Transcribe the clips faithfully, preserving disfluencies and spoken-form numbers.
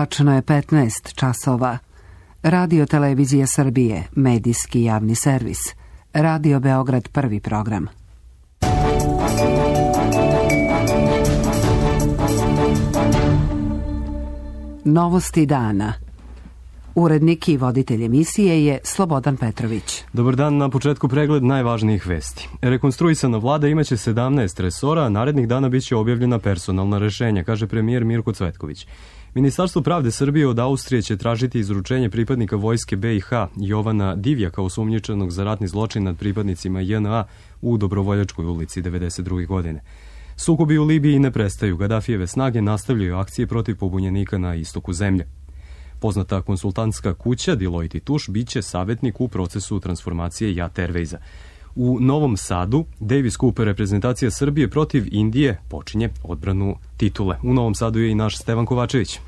Tačno je petnaest časova. Radio Televizija Srbije, medijski javni servis. Radio Beograd prvi program. Novosti dana. Urednik i voditelj emisije je Slobodan Petrović. Dobar dan, na početku pregled najvažnijih vesti. Rekonstruisana vlada imaće sedamnaest resora, a narednih dana biće objavljena personalna rešenja, kaže premijer Mirko Cvetković. Ministarstvo pravde Srbije od Austrije će tražiti izručenje pripadnika vojske be i ha Jovana Divjaka, osumnjičenog za ratni zločin nad pripadnicima je en a u Dobrovoljačkoj ulici devedeset druge godine. Sukobi u Libiji ne prestaju. Gadafijeve snage nastavljaju akcije protiv pobunjenika na istoku zemlje. Poznata konsultantska kuća Deloitte i Touche biće savjetnik u procesu transformacije Jat Airwaysa. U Novom Sadu Davis Cup reprezentacija Srbije protiv Indije počinje odbranu titule. U Novom Sadu je i naš Stevan Kovačević.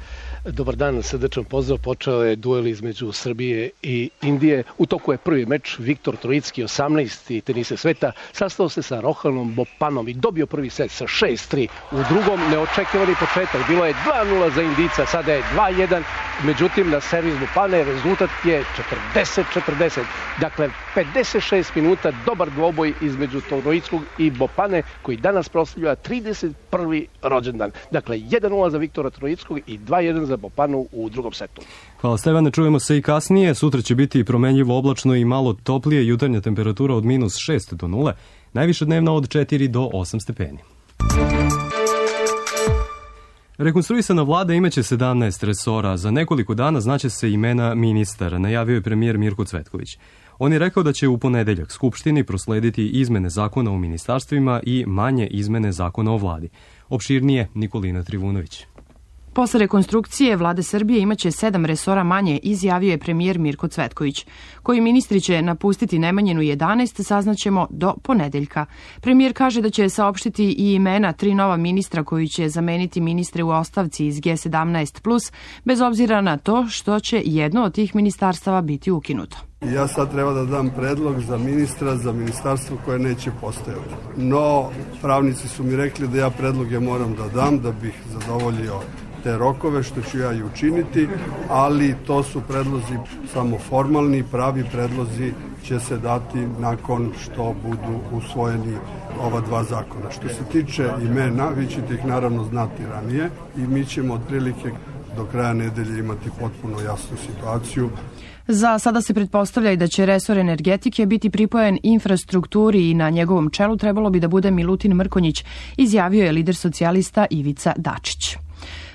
Dobar dan, srdečan pozdrav. Počeo je duel između Srbije i Indije. U toku je prvi meč. Viktor Trojicki, osamnaesti tenise sveta, sastao se sa Rohanom Bopanom i dobio prvi set sa šest tri. U drugom neočekivani početak. Bilo je dva nula za Indijca, sada je dva jedan. Međutim, na servis Bopane rezultat je četrdeset četrdeset. Dakle, pedeset šest minuta, dobar dvoboj između Trojickog i Bopane, koji danas proslavlja trideset prvi rođendan. Dakle, jedan nula za Viktora Trojickog i dva jedan za Bopanu u drugom setu. Hvala Stevane, čujemo se i kasnije. Sutra će biti promenljivo oblačno i malo toplije, jutarnja temperatura od minus šest do nule, najviša dnevna od četiri do osam stepeni. Rekonstruisana vlada imaće sedamnaest resora. Za nekoliko dana znaće se imena ministara, najavio je premijer Mirko Cvetković. On je rekao da će u ponedeljak Skupštini proslediti izmene zakona o ministarstvima i manje izmene zakona o vladi. Opširnije Nikolina Trivunović. Posle rekonstrukcije vlade Srbije imaće sedam resora manje, izjavio je premijer Mirko Cvetković. Koji ministri će napustiti najmanjenu jedanaest, saznaćemo do ponedeljka. Premijer kaže da će saopštiti i imena tri nova ministra koji će zameniti ministre u ostavci iz ge sedamnaest plus, bez obzira na to što će jedno od tih ministarstava biti ukinuto. Ja sad treba da dam predlog za ministra, za ministarstvo koje neće postojati. No, pravnici su mi rekli da ja predloge moram da dam, da bih zadovoljio te rokove, što ću ja i učiniti, ali to su predlozi samo formalni, pravi predlozi će se dati nakon što budu usvojeni ova dva zakona. Što se tiče imena, vi ćete ih naravno znati ranije i mi ćemo otprilike do kraja nedelje imati potpuno jasnu situaciju. Za sada se pretpostavlja i da će resor energetike biti pripojen infrastrukturi i na njegovom čelu trebalo bi da bude Milutin Mrkonjić, izjavio je lider socijalista Ivica Dačić.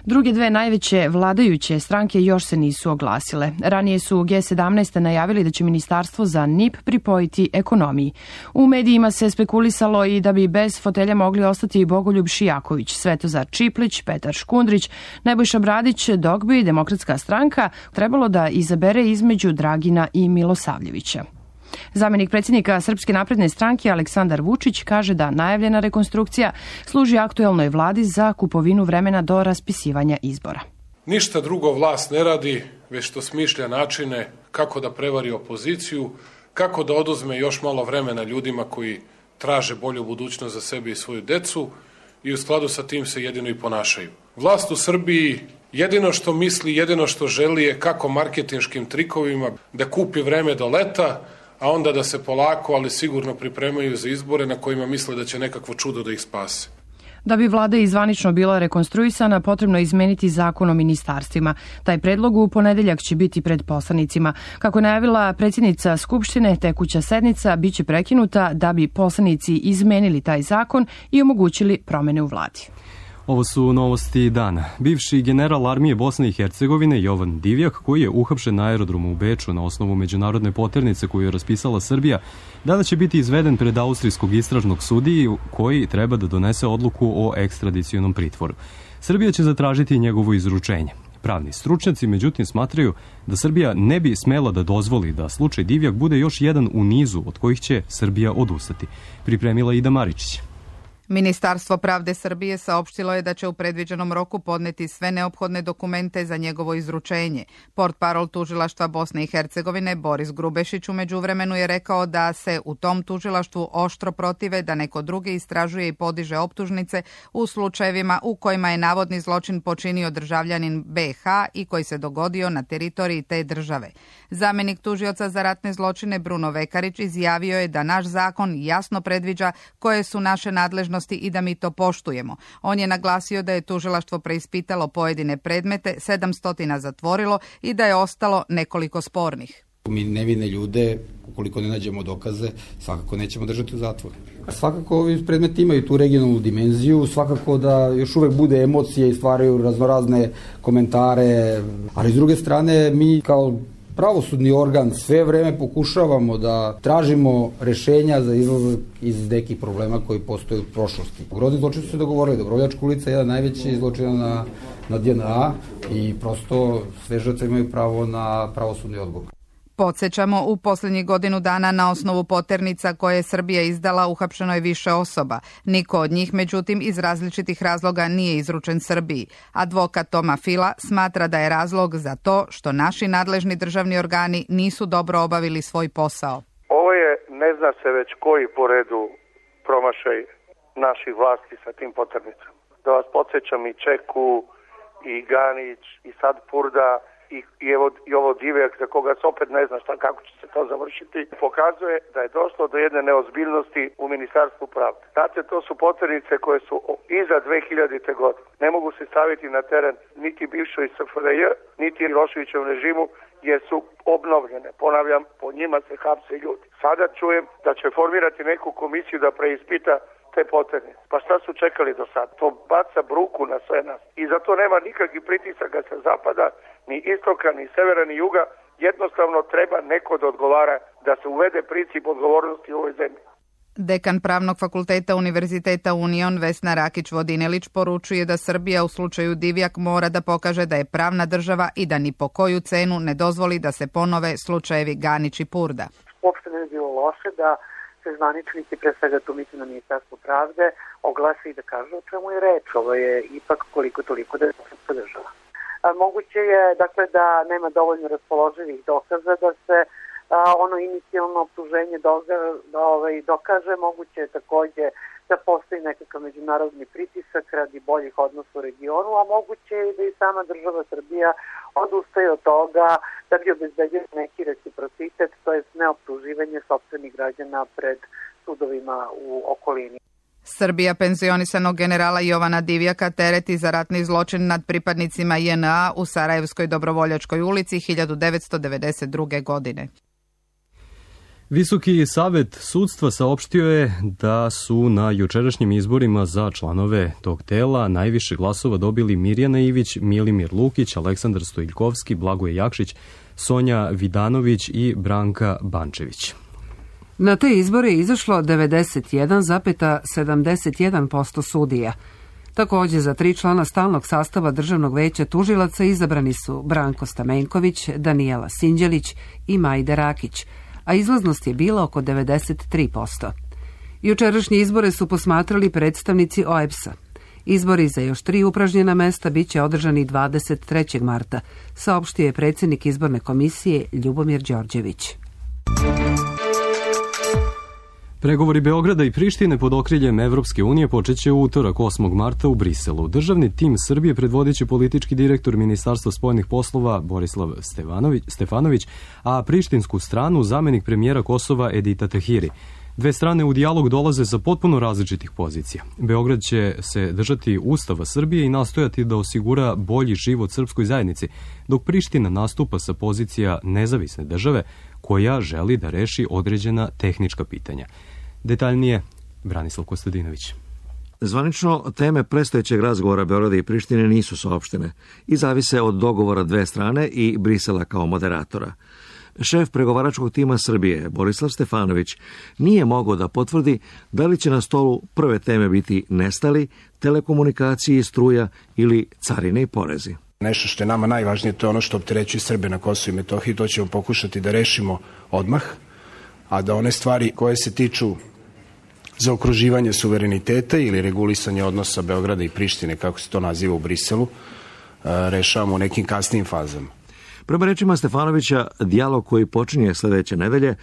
Druge dve najveće vladajuće stranke još se nisu oglasile. Ranije su ge sedamnaest najavili da će ministarstvo za en i pe pripojiti ekonomiji. U medijima se spekulisalo i da bi bez fotelja mogli ostati Bogoljub Šijaković, Svetozar Čiplić, Petar Škundrić, Nebojša Bradić, dok bi Demokratska stranka trebalo da izabere između Dragina i Milosavljevića. Zamenik predsjednika Srpske napredne stranke Aleksandar Vučić kaže da najavljena rekonstrukcija služi aktuelnoj vladi za kupovinu vremena do raspisivanja izbora. Ništa drugo vlast ne radi, već što smišlja načine kako da prevari opoziciju, kako da oduzme još malo vremena ljudima koji traže bolju budućnost za sebe i svoju decu i u skladu sa tim se jedino i ponašaju. Vlast u Srbiji jedino što misli, jedino što želi je kako marketinškim trikovima da kupi vreme do leta, a onda da se polako, ali sigurno pripremaju za izbore na kojima misle da će nekakvo čudo da ih spase. Da bi vlada i zvanično bila rekonstruisana, potrebno je izmeniti zakon o ministarstvima. Taj predlog u ponedeljak će biti pred poslanicima. Kako je najavila predsjednica Skupštine, tekuća sednica biće prekinuta da bi poslanici izmenili taj zakon i omogućili promene u vladi. Ovo su novosti dana. Bivši general armije Bosne i Hercegovine Jovan Divjak, koji je uhapšen na aerodromu u Beču na osnovu međunarodne poternice koju je raspisala Srbija, danas će biti izveden pred austrijskog istražnog sudiju koji treba da donese odluku o ekstradicionom pritvoru. Srbija će zatražiti njegovo izručenje. Pravni stručnjaci, međutim, smatraju da Srbija ne bi smela da dozvoli da slučaj Divjak bude još jedan u nizu od kojih će Srbija odustati. Pripremila Ida Maričić. Ministarstvo pravde Srbije saopštilo je da će u predviđenom roku podneti sve neophodne dokumente za njegovo izručenje. Portparol tužilaštva Bosne i Hercegovine Boris Grubešić u međuvremenu je rekao da se u tom tužilaštvu oštro protive da neko drugi istražuje i podiže optužnice u slučajevima u kojima je navodni zločin počinio državljanin be ha i koji se dogodio na teritoriji te države. Zamenik tužioca za ratne zločine Bruno Vekarić izjavio je da naš zakon jasno predviđa koje su naše nadležnosti i da mi to poštujemo. On je naglasio da je tužilaštvo preispitalo pojedine predmete, sedamsto zatvorilo i da je ostalo nekoliko spornih. Mi nevine ljude, ukoliko ne nađemo dokaze, svakako nećemo držati u zatvoru. Svakako ovi predmeti imaju tu regionalnu dimenziju, svakako da još uvek bude emocije i stvaraju raznorazne komentare, ali s druge strane mi kao pravosudni organ sve vreme pokušavamo da tražimo rešenja za izlazak iz nekih problema koji postoje u prošlosti. Grozni zločini su se dogovorili. Dobrovoljačka ulica je jedan najveći zločin na, na de en a i prosto sve žrtve imaju pravo na pravosudni odgovor. Podsjećamo, u posljednjih godinu dana na osnovu poternica koje je Srbija izdala uhapšeno je više osoba. Niko od njih, međutim, iz različitih razloga nije izručen Srbiji. Advokat Toma Fila smatra da je razlog za to što naši nadležni državni organi nisu dobro obavili svoj posao. Ovo je, ne zna se već koji po redu promašaj naših vlasti sa tim poternicama. Da vas podsjećam i Čeku, i Ganić, i sad Purda, I, i, evo, i ovo Divjak za koga se opet ne zna šta, kako će se to završiti, pokazuje da je došlo do jedne neozbiljnosti u Ministarstvu pravde. Znate, to su poternice koje su iza dve hiljadite. godine. Ne mogu se staviti na teren niti bivšoj es ef er je, niti Miloševićevom režimu, jer su obnovljene. Ponavljam, po njima se hapse ljudi. Sada čujem da će formirati neku komisiju da preispita te poternice. Pa šta su čekali do sad? To baca bruku na sve nas. I zato nema nikakvih pritisaka sa zapada, ni istoka, ni severa, ni juga. Jednostavno treba neko da odgovara, da se uvede princip odgovornosti u ovoj zemlji. Dekan Pravnog fakulteta Univerziteta Union Vesna Rakić-Vodinelić poručuje da Srbija u slučaju Divjak mora da pokaže da je pravna država i da ni po koju cenu ne dozvoli da se ponove slučajevi Ganić i Purda. Uopšte ne bi bilo loše da se zvaničnici, pre svega tu mislim na Ministarstvo pravde, oglase i da kažu o čemu je reč. Ovo je ipak koliko toliko da se podržava. Moguće je dakle da nema dovoljno raspoloživih dokaza da se a, ono inicijalno optuženje doga, da, ovaj, dokaže. Moguće je takođe da postoji nekakav međunarodni pritisak radi boljih odnosa u regionu, a moguće je da i sama država Srbija odustaje od toga da bi obezbedila neki reciprocitet, to je neoptuživanje sopstvenih građana pred sudovima u okolini. Srbija penzionisanog generala Jovana Divjaka tereti za ratni zločin nad pripadnicima je en a u Sarajevskoj Dobrovoljačkoj ulici hiljadu devetsto devedeset druge. godine. Visoki savet sudstva saopštio je da su na jučerašnjim izborima za članove tog tela najviše glasova dobili Mirjana Ivić, Milimir Lukić, Aleksandar Stojiljkovski, Blagoje Jakšić, Sonja Vidanović i Branka Bančević. Na te izbore je izašlo devedeset jedan zarez sedamdeset jedan posto sudija. Također za tri člana stalnog sastava Državnog veća tužilaca izabrani su Branko Stamenković, Danijela Sinđelić i Majda Rakić, a izlaznost je bila oko devedeset tri posto. Jučerašnje izbore su posmatrali predstavnici o e b es a. Izbori za još tri upražnjena mesta bit će održani dvadeset trećeg marta, saopštio je predsjednik izborne komisije Ljubomir Đorđević. Pregovori Beograda i Prištine pod okriljem Evropske unije počeće u utorak osmog marta u Briselu. Državni tim Srbije predvodit će politički direktor Ministarstva spoljnih poslova Borislav Stefanović, Stefanović, a prištinsku stranu zamenik premijera Kosova Edita Tahiri. Dve strane u dijalog dolaze sa potpuno različitih pozicija. Beograd će se držati Ustava Srbije i nastojati da osigura bolji život srpskoj zajednici, dok Priština nastupa sa pozicija nezavisne države koja želi da reši određena tehnička pitanja. Detaljnije, Branislav Kostadinović. Zvanično, teme predstojećeg razgovora Beograda i Prištine nisu saopštene i zavise od dogovora dve strane i Brisela kao moderatora. Šef pregovaračkog tima Srbije, Borislav Stefanović, nije mogao da potvrdi da li će na stolu prve teme biti nestali, telekomunikacije, struja ili carine i porezi. Nešto što je nama najvažnije, to je ono što opterećuje Srbe na Kosovu i Metohiji, to ćemo pokušati da rešimo odmah, a da one stvari koje se tiču zaokruživanje suvereniteta ili regulisanje odnosa Beograda i Prištine, kako se to naziva u Briselu, rešavamo u nekim kasnijim fazama. Prema rečima Stefanovića, dijalog koji počinje sledeće nedelje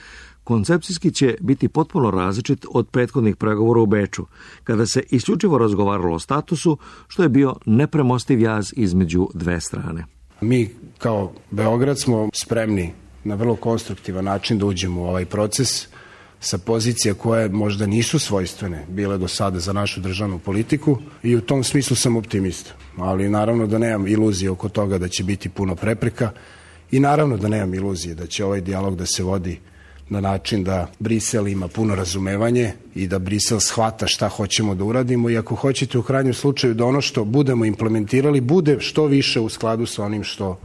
koncepcijski će biti potpuno različit od prethodnih pregovora u Beču, kada se isključivo razgovaralo o statusu, što je bio nepremostiv jaz između dve strane. Mi kao Beograd smo spremni na vrlo konstruktivan način da uđemo u ovaj proces sa pozicija koje možda nisu svojstvene bile do sada za našu državnu politiku i u tom smislu sam optimista. Ali naravno da nemam iluzije oko toga da će biti puno prepreka i naravno da nemam iluzije da će ovaj dijalog da se vodi na način da Brisel ima puno razumevanje i da Brisel shvata šta hoćemo da uradimo i ako hoćete u krajnjem slučaju da ono što budemo implementirali bude što više u skladu sa onim što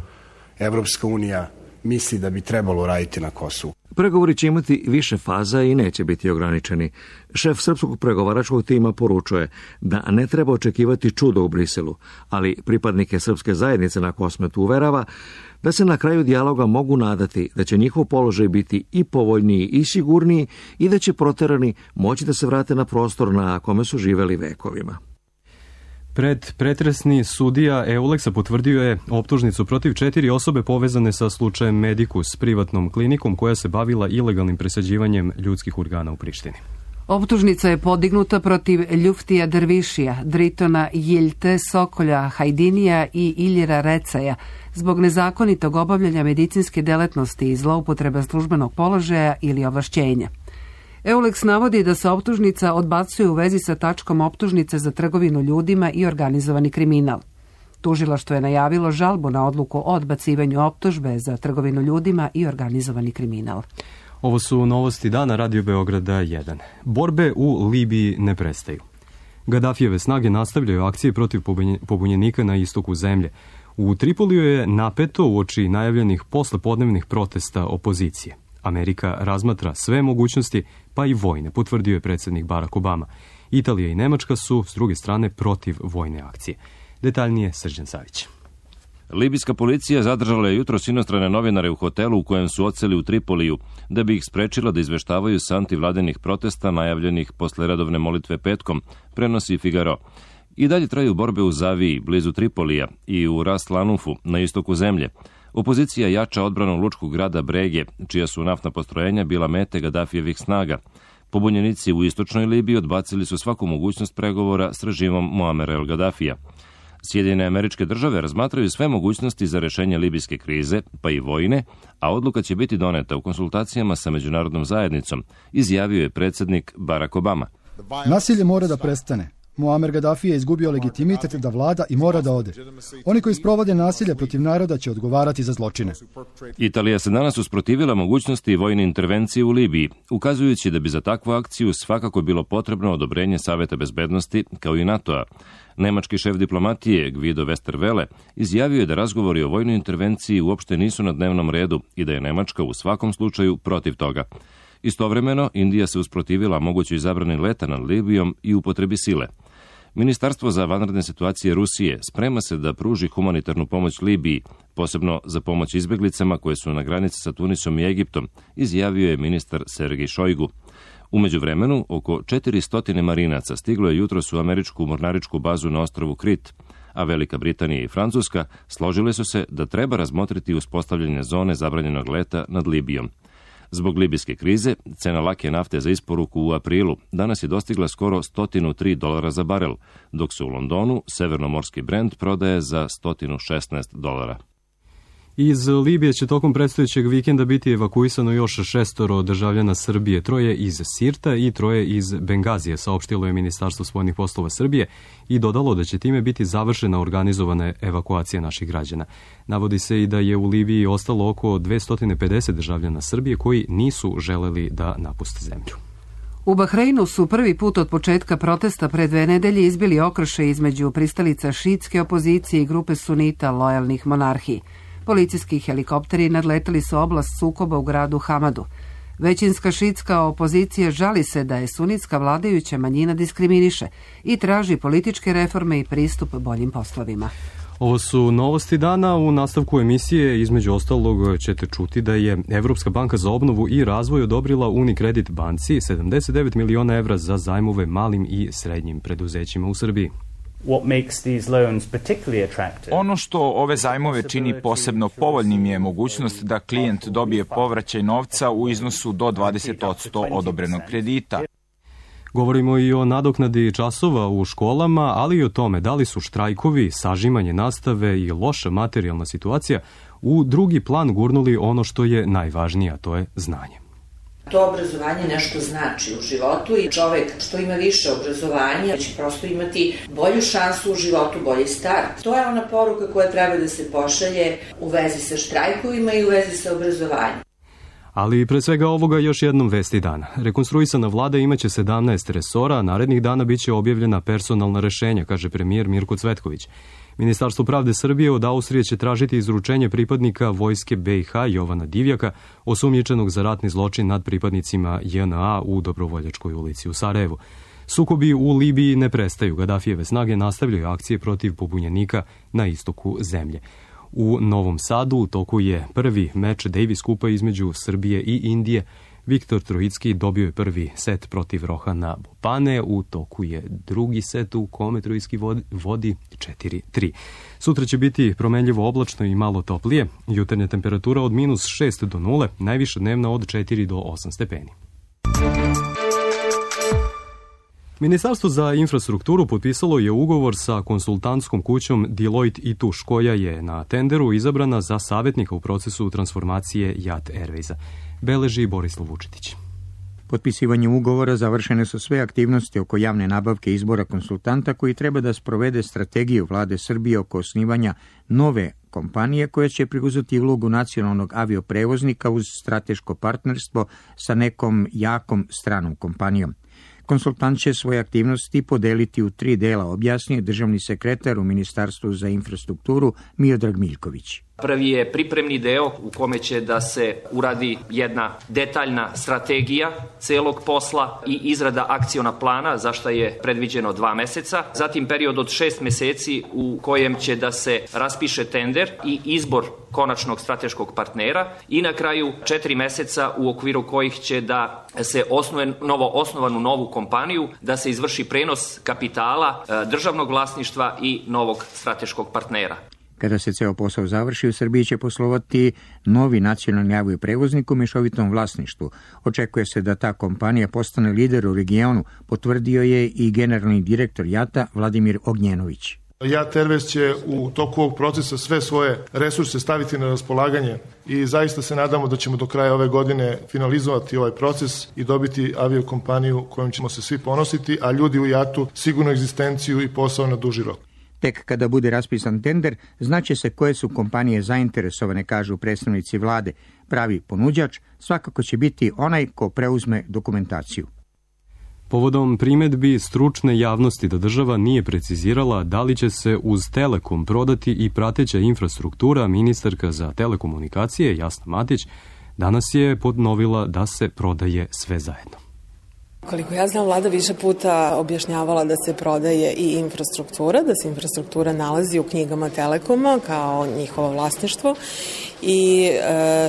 Evropska unija misli da bi trebalo raditi na Kosovu. Pregovori će imati više faza i neće biti ograničeni. Šef srpskog pregovaračkog tima poručuje da ne treba očekivati čudo u Briselu, ali pripadnike srpske zajednice na Kosmetu uverava da se na kraju dijaloga mogu nadati da će njihov položaj biti i povoljniji i sigurniji i da će proterani moći da se vrate na prostor na kome su živeli vekovima. Pred pretresni sudija Euleksa potvrdio je optužnicu protiv četiri osobe povezane sa slučajem Medicus, privatnom klinikom koja se bavila ilegalnim presađivanjem ljudskih organa u Prištini. Optužnica je podignuta protiv Ljuftija Dervišija, Dritona Jilte, Sokolja Hajdinija i Iljira Recaja zbog nezakonitog obavljanja medicinske delatnosti i zloupotreba službenog položaja ili ovlašćenja. Euleks navodi da se optužnica odbacuje u vezi sa tačkom optužnice za trgovinu ljudima i organizovani kriminal. Tužilaštvo je najavilo žalbu na odluku o odbacivanju optužbe za trgovinu ljudima i organizovani kriminal. Ovo su novosti dana Radio Beograda jedan. Borbe u Libiji ne prestaju. Gadafijeve snage nastavljaju akcije protiv pobunjenika na istoku zemlje. U Tripoliju je napeto uoči najavljenih poslepodnevnih protesta opozicije. Amerika razmatra sve mogućnosti, pa i vojne, potvrdio je predsjednik Barack Obama. Italija i Nemačka su, s druge strane, protiv vojne akcije. Detaljnije Srđan Savić. Libijska policija zadržala je jutros inostrane novinare u hotelu u kojem su odseli u Tripoliju, da bi ih sprečila da izveštavaju sa antivladinih protesta najavljenih posle redovne molitve petkom, prenosi Figaro. I dalje traju borbe u Zaviji, blizu Tripolija, i u Ras Lanufu, na istoku zemlje. Opozicija jača odbranu lučkog grada Brege, čija su naftna postrojenja bila mete Gadafijevih snaga. Pobunjenici u istočnoj Libiji odbacili su svaku mogućnost pregovora s režimom Muamera el Gadafija. Sjedinjene Američke Države razmatraju sve mogućnosti za rešenje libijske krize, pa i vojne, a odluka će biti doneta u konsultacijama sa međunarodnom zajednicom, izjavio je predsjednik Barack Obama. Nasilje mora da prestane. Muamer Gaddafi je izgubio legitimitet da vlada i mora da ode. Oni koji sprovode nasilje protiv naroda će odgovarati za zločine. Italija se danas usprotivila mogućnosti vojne intervencije u Libiji, ukazujući da bi za takvu akciju svakako bilo potrebno odobrenje Saveta bezbednosti, kao i NATO-a. Nemački šef diplomatije Guido Westerwelle izjavio je da razgovori o vojnoj intervenciji uopšte nisu na dnevnom redu i da je Nemačka u svakom slučaju protiv toga. Istovremeno, Indija se usprotivila mogućoj zabrani leta nad Libijom i upotrebi sile. Ministarstvo za vanredne situacije Rusije sprema se da pruži humanitarnu pomoć Libiji, posebno za pomoć izbeglicama koje su na granici sa Tunisom i Egiptom, izjavio je ministar Sergej Šojgu. U međuvremenu, oko četiristo marinaca stiglo je jutros u američku mornaričku bazu na ostrvu Krit, a Velika Britanija i Francuska složile su se da treba razmotriti uspostavljanje zone zabranjenog leta nad Libijom. Zbog libijske krize, cena lake nafte za isporuku u aprilu danas je dostigla skoro sto tri dolara za barel, dok se u Londonu severnomorski Brent prodaje za sto šesnaest dolara. Iz Libije će tokom predstojećeg vikenda biti evakuisano još šestoro državljana Srbije, troje iz Sirta i troje iz Bengazije, saopštilo je Ministarstvo spoljnih poslova Srbije i dodalo da će time biti završena organizovana evakuacija naših građana. Navodi se i da je u Libiji ostalo oko dvesta pedeset državljana Srbije koji nisu želeli da napuste zemlju. U Bahreinu su prvi put od početka protesta pre dve nedelje izbili okršaj između pristalica šiitske opozicije i grupe sunita lojalnih monarhiji. Policijski helikopteri nadletali su oblast sukoba u gradu Hamadu. Većinska šiitska opozicija žali se da je sunitska vladajuća manjina diskriminiše i traži političke reforme i pristup boljim poslovima. Ovo su novosti dana. U nastavku emisije između ostalog ćete čuti da je Evropska banka za obnovu i razvoj odobrila Unicredit banci sedamdeset devet miliona evra za zajmove malim i srednjim preduzećima u Srbiji. Ono što ove zajmove čini posebno povoljnim je mogućnost da klijent dobije povraćaj novca u iznosu do dvadeset posto odobrenog kredita. Govorimo i o nadoknadi časova u školama, ali i o tome da li su štrajkovi, sažimanje nastave i loša materijalna situacija u drugi plan gurnuli ono što je najvažnije, a to je znanje. To obrazovanje nešto znači u životu i čovek što ima više obrazovanja će prosto imati bolju šansu u životu, bolji start. To je ona poruka koja treba da se pošalje u vezi sa štrajkovima i u vezi sa obrazovanjem. Ali pre svega ovoga još jednom vesti dana. Rekonstruisana vlada imaće sedamnaest resora, a narednih dana biće objavljena personalna rešenja, kaže premijer Mirko Cvetković. Ministarstvo pravde Srbije od Austrije će tražiti izručenje pripadnika vojske be i ha Jovana Divjaka, osumnjičenog za ratni zločin nad pripadnicima je en a u Dobrovoljačkoj ulici u Sarajevu. Sukobi u Libiji ne prestaju. Gadafijeve snage nastavljaju akcije protiv pobunjenika na istoku zemlje. U Novom Sadu u toku je prvi meč Davis kupa između Srbije i Indije. Viktor Trojicki dobio je prvi set protiv Rohana Bopane. U toku je drugi set u kome Trojicki vodi četiri tri. Sutra će biti promenljivo oblačno i malo toplije. Jutarnja temperatura od minus šest do nule, najviša dnevna od četiri do osam stepeni. Ministarstvo za infrastrukturu potpisalo je ugovor sa konsultantskom kućom Deloitte i Touche, koja je na tenderu izabrana za savjetnika u procesu transformacije Jat Airwaysa. Beleži Borislav Vučetić. Potpisivanjem ugovora završene su sve aktivnosti oko javne nabavke izbora konsultanta koji treba da sprovede strategiju vlade Srbije oko osnivanja nove kompanije koja će preuzeti ulogu nacionalnog avioprevoznika uz strateško partnerstvo sa nekom jakom stranom kompanijom. Konsultant će svoje aktivnosti podeliti u tri dela, objasnio državni sekretar u Ministarstvu za infrastrukturu Miodrag Miljković. Prvi je pripremni deo u kome će da se uradi jedna detaljna strategija celog posla i izrada akciona plana, za što je predviđeno dva meseca. Zatim period od šest meseci u kojem će da se raspiše tender i izbor konačnog strateškog partnera i na kraju četiri meseca u okviru kojih će da se osnuje novo osnovanu novu kompaniju, da se izvrši prenos kapitala, državnog vlasništva i novog strateškog partnera. Kada se ceo posao završi, u Srbiji će poslovati novi nacionalni avioprevoznik u mešovitom vlasništvu. Očekuje se da ta kompanija postane lider u regionu, potvrdio je i generalni direktor Jata Vladimir Ognjenović. Jat Airways će u toku ovog procesa sve svoje resurse staviti na raspolaganje i zaista se nadamo da ćemo do kraja ove godine finalizovati ovaj proces i dobiti aviokompaniju kojom ćemo se svi ponositi, a ljudi u Jatu sigurno egzistenciju i posao na duži rok. Tek kada bude raspisan tender, znaće se koje su kompanije zainteresovane, kažu predstavnici vlade. Pravi ponuđač svakako će biti onaj ko preuzme dokumentaciju. Povodom primedbi stručne javnosti da država nije precizirala da li će se uz Telekom prodati i prateća infrastruktura, ministarka za telekomunikacije Jasna Matić danas je podnovila da se prodaje sve zajedno. Koliko ja znam, vlada više puta objašnjavala da se prodaje i infrastruktura, da se infrastruktura nalazi u knjigama Telekoma kao njihovo vlasništvo i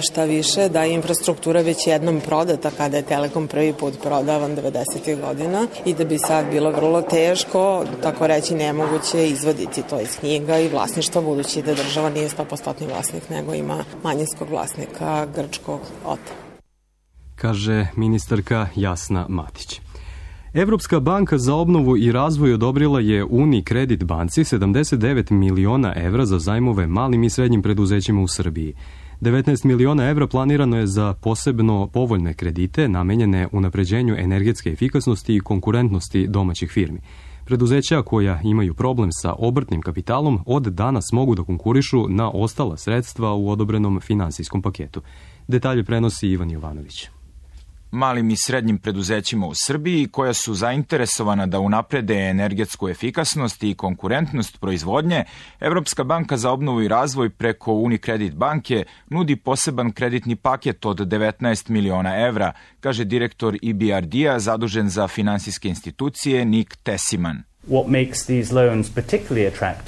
šta više, da je infrastruktura već jednom prodata kada je Telekom prvi put prodavan devedesetih godina i da bi sad bilo vrlo teško, tako reći nemoguće, izvaditi to iz knjiga i vlasništva, budući da država nije sto posto vlasnik, nego ima manjinskog vlasnika grčkog ota. Kaže ministarka Jasna Matić. Evropska banka za obnovu i razvoj odobrila je Unicredit banci sedamdeset devet miliona evra za zajmove malim i srednjim preduzećima u Srbiji. devetnaest miliona evra planirano je za posebno povoljne kredite namenjene unapređenju energetske efikasnosti i konkurentnosti domaćih firmi. Preduzeća koja imaju problem sa obrtnim kapitalom od danas mogu da konkurišu na ostala sredstva u odobrenom finansijskom paketu. Detalje prenosi Ivan Jovanović. Malim i srednjim preduzećima u Srbiji koja su zainteresovana da unaprede energetsku efikasnost i konkurentnost proizvodnje, Evropska banka za obnovu i razvoj preko Unicredit banke nudi poseban kreditni paket od devetnaest miliona evra, kaže direktor E B R D-a zadužen za finansijske institucije Nik Tesiman.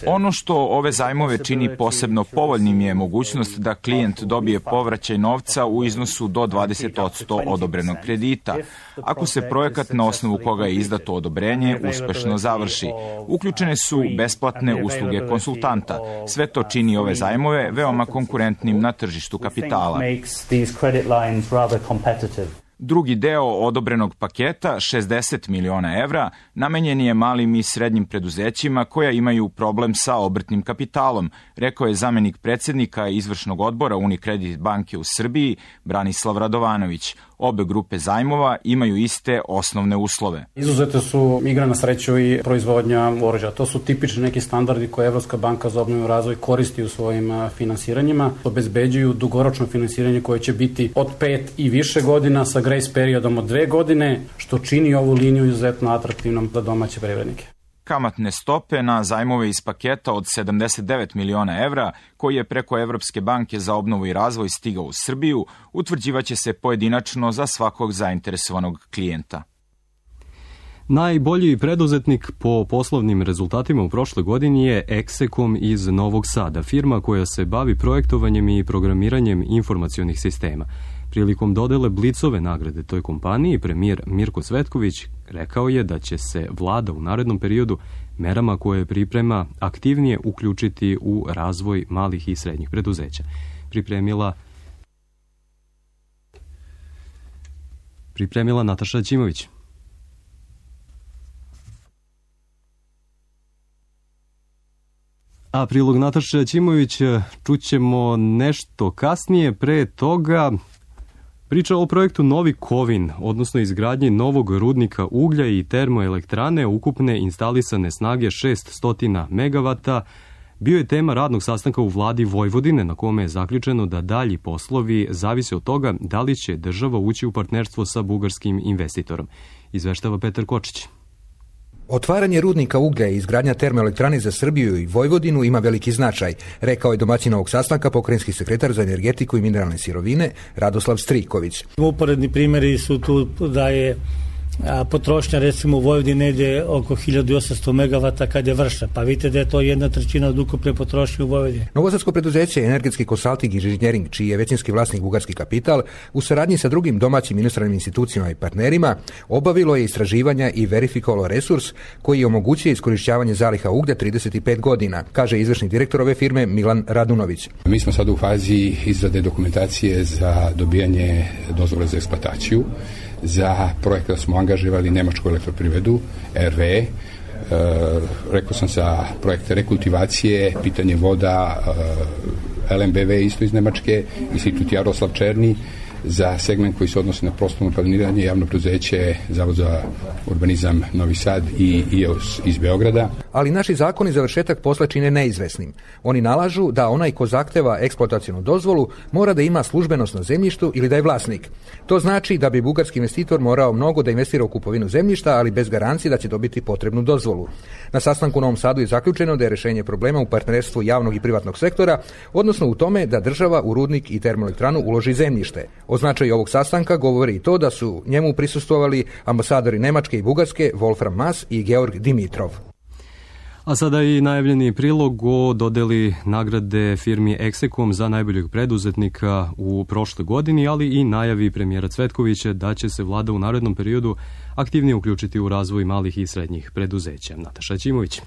Ono što ove zajmove čini posebno povoljnim je mogućnost da klijent dobije povraćaj novca u iznosu do dvadeset posto odobrenog kredita, ako se projekat na osnovu koga je izdato odobrenje uspešno završi. Uključene su besplatne usluge konsultanta. Sve to čini ove zajmove veoma konkurentnim na tržištu kapitala. Drugi deo odobrenog paketa, šezdeset miliona evra, namenjen je malim i srednjim preduzećima koja imaju problem sa obrtnim kapitalom, rekao je zamenik predsednika izvršnog odbora Unicredit banke u Srbiji, Branislav Radovanović. Obe grupe zajmova imaju iste osnovne uslove. Izuzete su igra na sreću i proizvodnja oružja. To su tipični neki standardi koje Evropska banka za obnovu i razvoj koristi u svojim finansiranjima. Obezbeđuju dugoročno finansiranje koje će biti od pet i više godina sa grace periodom od dve godine, što čini ovu liniju izuzetno atraktivnom za domaće privrednike. Kamatne stope na zajmove iz paketa od sedamdeset devet miliona evra, koji je preko Evropske banke za obnovu i razvoj stigao u Srbiju, utvrđivaće se pojedinačno za svakog zainteresovanog klijenta. Najbolji preduzetnik po poslovnim rezultatima u prošloj godini je Execom iz Novog Sada, firma koja se bavi projektovanjem i programiranjem informacionih sistema. Prilikom dodele Blicove nagrade toj kompaniji, premijer Mirko Cvetković rekao je da će se vlada u narednom periodu merama koje priprema aktivnije uključiti u razvoj malih i srednjih preduzeća. Pripremila pripremila Nataša Ćimović. A prilog Nataša Ćimović čućemo nešto kasnije. Pre toga priča o projektu Novi Kovin, odnosno izgradnji novog rudnika uglja i termoelektrane ukupne instalisane snage šesnaest megavata, bio je tema radnog sastanka u vladi Vojvodine, na kome je zaključeno da dalji poslovi zavise od toga da li će država ući u partnerstvo sa bugarskim investitorom. Izveštava Petar Kočić. Otvaranje rudnika uglja i izgradnja termoelektrane za Srbiju i Vojvodinu ima veliki značaj, rekao je domaćin ovog sastanka pokrajinski sekretar za energetiku i mineralne sirovine Radoslav Striković. Uporedni primjeri su tu da je a potrošnja recimo u Vojvodini negdje oko hiljadu osamsto megavata kad je vršna, pa vidite da je to jedna trećina od ukupne potrošnje u Vojvodini. Novosadsko preduzeće Energetski konsalting i inženjering, čiji je većinski vlasnik bugarski kapital, u saradnji sa drugim domaćim inostranim institucijama i partnerima, obavilo je istraživanja i verifikovalo resurs koji omogućuje iskorišćavanje zaliha uglja trideset pet godina, kaže izvršni direktor ove firme Milan Radunović. Mi smo sad u fazi izrade dokumentacije za dobijanje dozvole za eksploataciju. Za projekta smo angažovali Nemačku elektroprivredu, R W E, e, rekao sam za projekte rekultivacije, pitanje voda, e, L M B V isto iz Nemačke, Institut Jaroslav Černi, za segment koji se odnosi na prostorno planiranje, javno preduzeće, Zavod za urbanizam Novi Sad i I E O S iz Beograda. Ali naši zakoni završetak posla čine neizvesnim. Oni nalažu da onaj ko zahteva eksploatacionu dozvolu mora da ima službenost na zemljištu ili da je vlasnik. To znači da bi bugarski investitor morao mnogo da investira u kupovinu zemljišta, ali bez garancije da će dobiti potrebnu dozvolu. Na sastanku u Novom Sadu je zaključeno da je rešenje problema u partnerstvu javnog i privatnog sektora, odnosno u tome da država u rudnik i termoelektranu uloži zemljište. O značaju ovog sastanka govori i to da su njemu prisustvovali ambasadori Nemačke i Bugarske Wolfram Mas i Georg Dimitrov. A sada i najavljeni prilog o dodeli nagrade firmi Execom za najboljeg preduzetnika u prošloj godini, ali i najavi premijera Cvetkovića da će se vlada u narednom periodu aktivnije uključiti u razvoj malih i srednjih preduzeća. Nataša Ćimović.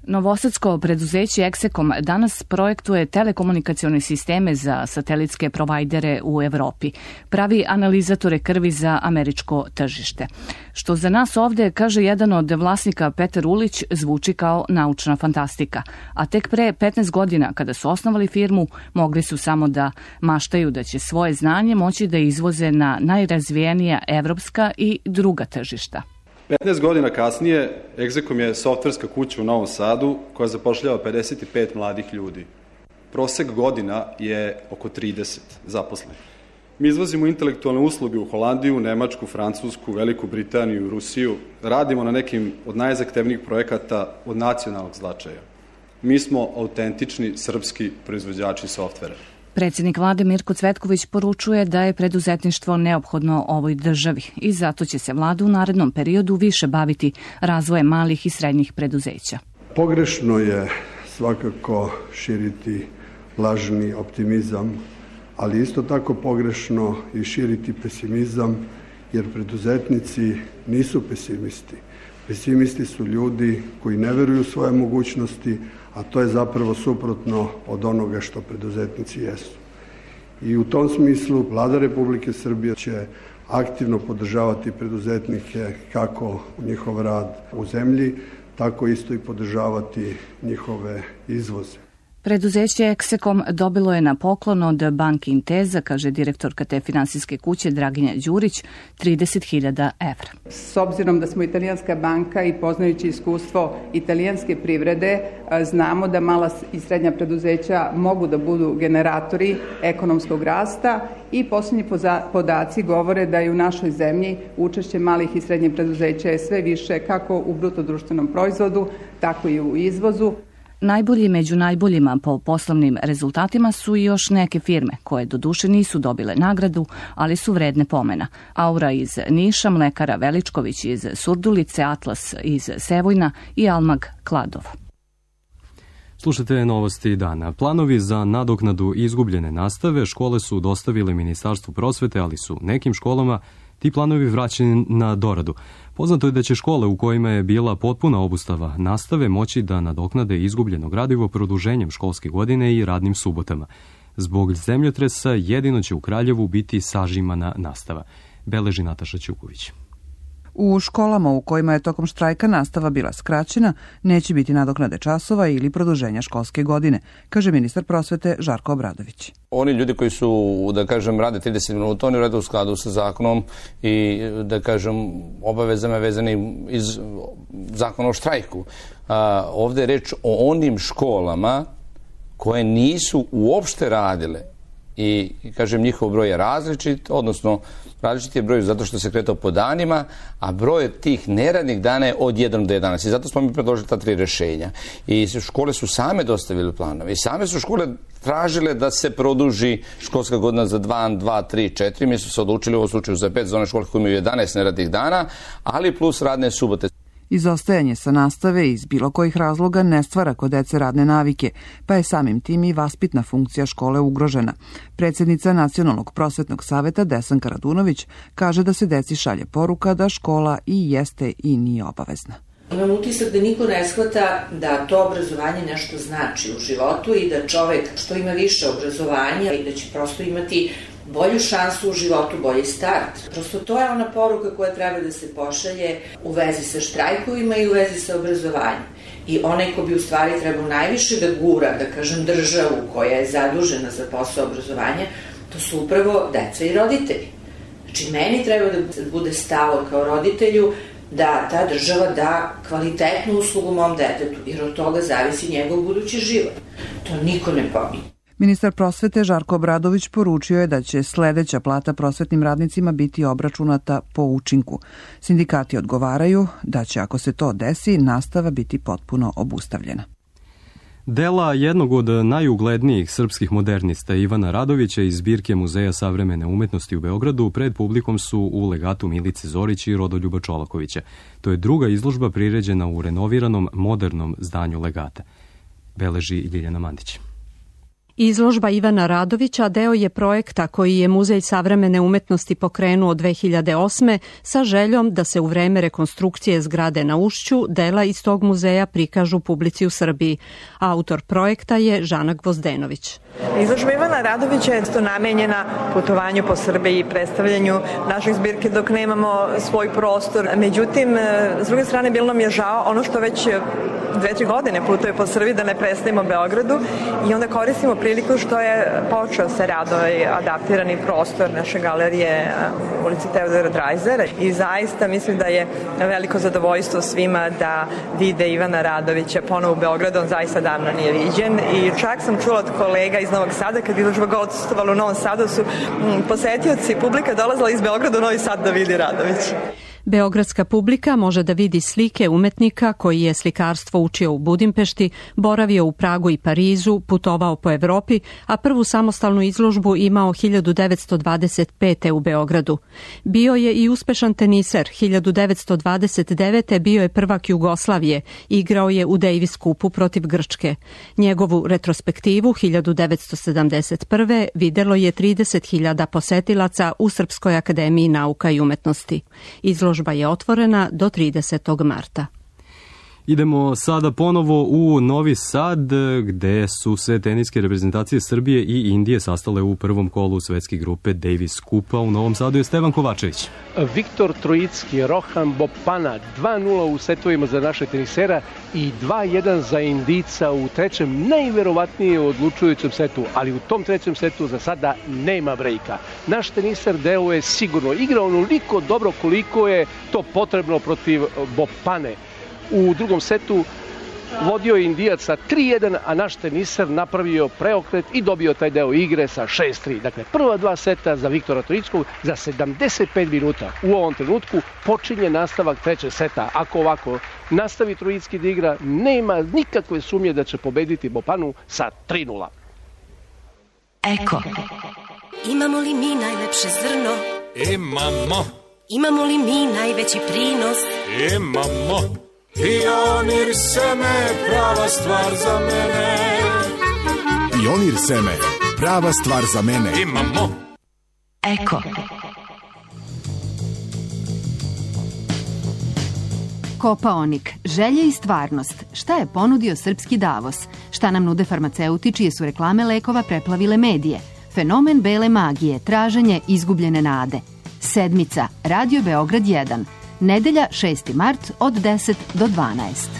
Novosadsko preduzeće Execom danas projektuje telekomunikacione sisteme za satelitske provajdere u Evropi. Pravi analizatore krvi za američko tržište. Što za nas ovde, kaže jedan od vlasnika Petar Ulić, zvuči kao naučna fantastika. A tek pre petnaest godina, kada su osnovali firmu, mogli su samo da maštaju da će svoje znanje moći da izvoze na najrazvijenija evropska i druga tržišta. petnaest godina kasnije, Execom je softverska kuća u Novom Sadu koja zapošljava pedeset pet mladih ljudi. Prosek godina je oko trideset zaposlenih. Mi izvozimo intelektualne usluge u Holandiju, Nemačku, Francusku, Veliku Britaniju, Rusiju. Radimo na nekim od najzahtevnijih projekata od nacionalnog značaja. Mi smo autentični srpski proizvođači softvera. Predsjednik vlade Mirko Cvetković poručuje da je preduzetništvo neophodno ovoj državi i zato će se vlada u narednom periodu više baviti razvojem malih i srednjih preduzeća. Pogrešno je svakako širiti lažni optimizam, ali isto tako pogrešno i širiti pesimizam, jer preduzetnici nisu pesimisti. Pesimisti su ljudi koji ne veruju u svoje mogućnosti, a to je zapravo suprotno od onoga što preduzetnici jesu. I u tom smislu Vlada Republike Srbije će aktivno podržavati preduzetnike kako njihov rad u zemlji, tako isto i podržavati njihove izvoze. Preduzeće Eksekom dobilo je na poklon od banke Inteza, kaže direktorka te finansijske kuće Draginja Đurić, trideset hiljada evra. S obzirom da smo italijanska banka i poznajući iskustvo italijanske privrede, znamo da mala i srednja preduzeća mogu da budu generatori ekonomskog rasta i posljednji podaci govore da je u našoj zemlji učešće malih i srednjih preduzeća je sve više kako u bruto društvenom proizvodu, tako i u izvozu. Najbolji među najboljima po poslovnim rezultatima su i još neke firme koje doduše nisu dobile nagradu, ali su vredne pomena. Aura iz Niša, Mlekara Veličković iz Surdulice, Atlas iz Sevojna i Almag Kladova. Slušajte novosti dana. Planovi za nadoknadu izgubljene nastave škole su dostavile Ministarstvu prosvete, ali su nekim školama ti planovi vraćeni na doradu. Poznato je da će škole u kojima je bila potpuna obustava nastave moći da nadoknade izgubljeno gradivo produženjem školske godine i radnim subotama. Zbog zemljotresa jedino će u Kraljevu biti sažimana nastava, beleži Nataša Ćuković. U školama u kojima je tokom štrajka nastava bila skraćena, neće biti nadoknade časova ili produženja školske godine, kaže ministar prosvete Žarko Obradović. Oni ljudi koji su, da kažem, rade trideset minuta, oni rade u skladu sa zakonom i, da kažem, obavezama vezani iz zakona o štrajku. A, ovde je reč o onim školama koje nisu uopšte radile i, kažem, njihov broj je različit, odnosno različit je broj zato što se kretao po danima, a broj tih neradnih dana je od jedan do jedanaest. I zato smo mi predložili ta tri rešenja. I škole su same dostavile planove. I same su škole tražile da se produži školska godina za dva, dva, tri, četiri. Mi smo se odlučili u ovom slučaju za pet, za one škole koje imaju jedanaest neradnih dana, ali plus radne subote. Izostajanje sa nastave iz bilo kojih razloga ne stvara kod dece radne navike, pa je samim tim i vaspitna funkcija škole ugrožena. Predsjednica Nacionalnog prosvetnog saveta Desanka Radunović kaže da se deci šalje poruka da škola i jeste i nije obavezna. Imam utisak da niko ne shvata da to obrazovanje nešto znači u životu i da čovek što ima više obrazovanja i da će prosto imati bolju šansu u životu, bolji start. Prosto to je ona poruka koja treba da se pošalje u vezi sa štrajkovima i u vezi sa obrazovanjem. I onaj ko bi u stvari trebao najviše da gura, da kažem, državu koja je zadužena za posao obrazovanja, to su upravo deca i roditelji. Znači, meni treba da bude stalo kao roditelju da ta država da kvalitetnu uslugu mom detetu, jer od toga zavisi njegov budući život. To niko ne pominje. Ministar prosvete Žarko Obradović poručio je da će sledeća plata prosvetnim radnicima biti obračunata po učinku. Sindikati odgovaraju da će, ako se to desi, nastava biti potpuno obustavljena. Dela jednog od najuglednijih srpskih modernista Ivana Radovića iz zbirke Muzeja savremene umetnosti u Beogradu pred publikom su u legatu Milice Zorić i Rodoljuba Čolakovića. To je druga izložba priređena u renoviranom modernom zdanju legata, beleži Ljiljana Mandić. Izložba Ivana Radovića deo je projekta koji je Muzej savremene umetnosti pokrenuo dve hiljade osme sa željom da se u vreme rekonstrukcije zgrade na Ušću dela iz tog muzeja prikažu publici u Srbiji. Autor projekta je Žana Gvozdenović. Izložba Ivana Radovića je isto namenjena putovanju po Srbiji i predstavljanju naših zbirke dok nemamo svoj prostor. Međutim, s druge strane, bilo nam je žao ono što već dve, tri godine putuje po Srbiji da ne predstavimo Beogradu i onda koristimo priliku što je počeo se rad ovaj adaptirani prostor naše galerije u ulici Teodora Drajzera i zaista mislim da je veliko zadovoljstvo svima da vide Ivana Radovića ponovo u Beogradu, on zaista davno nije viđen i čak sam čula od kolega iz Novog Sada kad izložba gostovala u Novom Sadu su posetioci publika dolazila iz Beograda u Novi Sad da vidi Radovića. Beogradska publika može da vidi slike umetnika koji je slikarstvo učio u Budimpešti, boravio u Pragu i Parizu, putovao po Evropi, a prvu samostalnu izložbu imao hiljadu devetsto dvadeset pete. u Beogradu. Bio je i uspešan teniser. hiljadu devetsto dvadeset devete. bio je prvak Jugoslavije, igrao je u Davis Cupu protiv Grčke. Njegovu retrospektivu hiljadu devetsto sedamdeset prve. videlo je trideset hiljada posetilaca u Srpskoj akademiji nauka i umetnosti. Izložba je otvorena do tridesetog marta. Idemo sada ponovo u Novi Sad, gde su se teniske reprezentacije Srbije i Indije sastale u prvom kolu svetske grupe Davis Cupa. U Novom Sadu je Stevan Kovačević. Viktor Trojicki, Rohan Bopana, dva nula u setovima za naše tenisera i dva jedan za Indijca u trećem, najverovatnije odlučujućem setu, ali u tom trećem setu za sada nema brejka. Naš teniser deo je sigurno igrao onoliko dobro koliko je to potrebno protiv Bopane. U drugom setu vodio je Indijac sa tri jedan, a naš teniser napravio preokret i dobio taj deo igre sa šest tri. Dakle, prva dva seta za Viktora Trojickog za sedamdeset pet minuta. U ovom trenutku počinje nastavak trećeg seta. Ako ovako nastavi Trojicki da igra, nema nikakve sumnje da će pobediti Bopanu sa tri nula. Eko. Imamo li mi najlepše zrno? Imamo. Imamo li mi najveći prinos? Imamo. Pionir seme, prava stvar za mene. Pionir seme, prava stvar za mene. Imamo. Eko. Kopaonik, želje i stvarnost. Šta je ponudio srpski Davos? Šta nam nude farmaceuti čije su reklame lekova preplavile medije? Fenomen bele magije, traženje izgubljene nade. Sedmica, Radio Beograd jedan. Nedelja šesti mart od deset do dvanaest.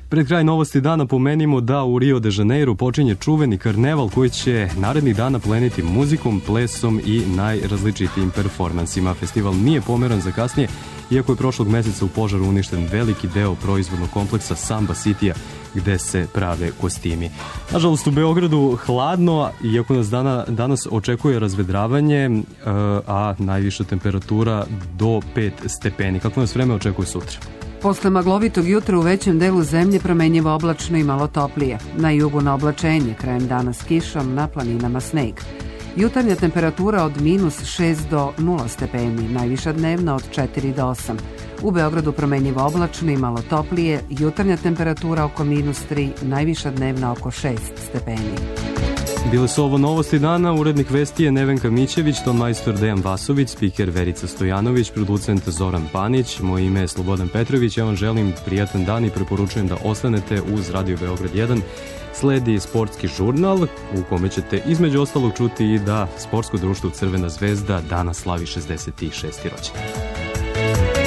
Pred kraj novosti dana pomenimo da u Rio de Janeiro počinje čuveni karneval koji će narednih dana pleniti muzikom, plesom i najrazličitijim performansima. Festival nije pomeran za kasnije, iako je prošlog meseca u požaru uništen veliki deo proizvodnog kompleksa Samba Citya, gde se prave kostimi. Nažalost, u Beogradu hladno, iako nas dana, danas očekuje razvedravanje, a najviša temperatura do pet stepeni. Kako nas vreme očekuje sutra? Posle maglovitog jutra u većem delu zemlje promenjivo oblačno i malo toplije. Na jugu na oblačenje, krajem dana s kišom, na planinama sneg. Jutarnja temperatura od minus šest do nula stepeni, najviša dnevna od četiri do osam. U Beogradu promenjivo oblačno i malo toplije, jutarnja temperatura oko minus tri, najviša dnevna oko šest stepeni. Bile su ovo novosti dana, urednik vesti je Nevenka Mićević, ton majstor Dejan Vasović, spiker Verica Stojanović, producent Zoran Panić, moje ime je Slobodan Petrović, ja vam želim prijatan dan i preporučujem da ostanete uz Radio Beograd jedan. Sledi sportski žurnal u kome ćete između ostalog čuti i da sportsko društvo Crvena zvezda danas slavi šezdeset šesti rođendan.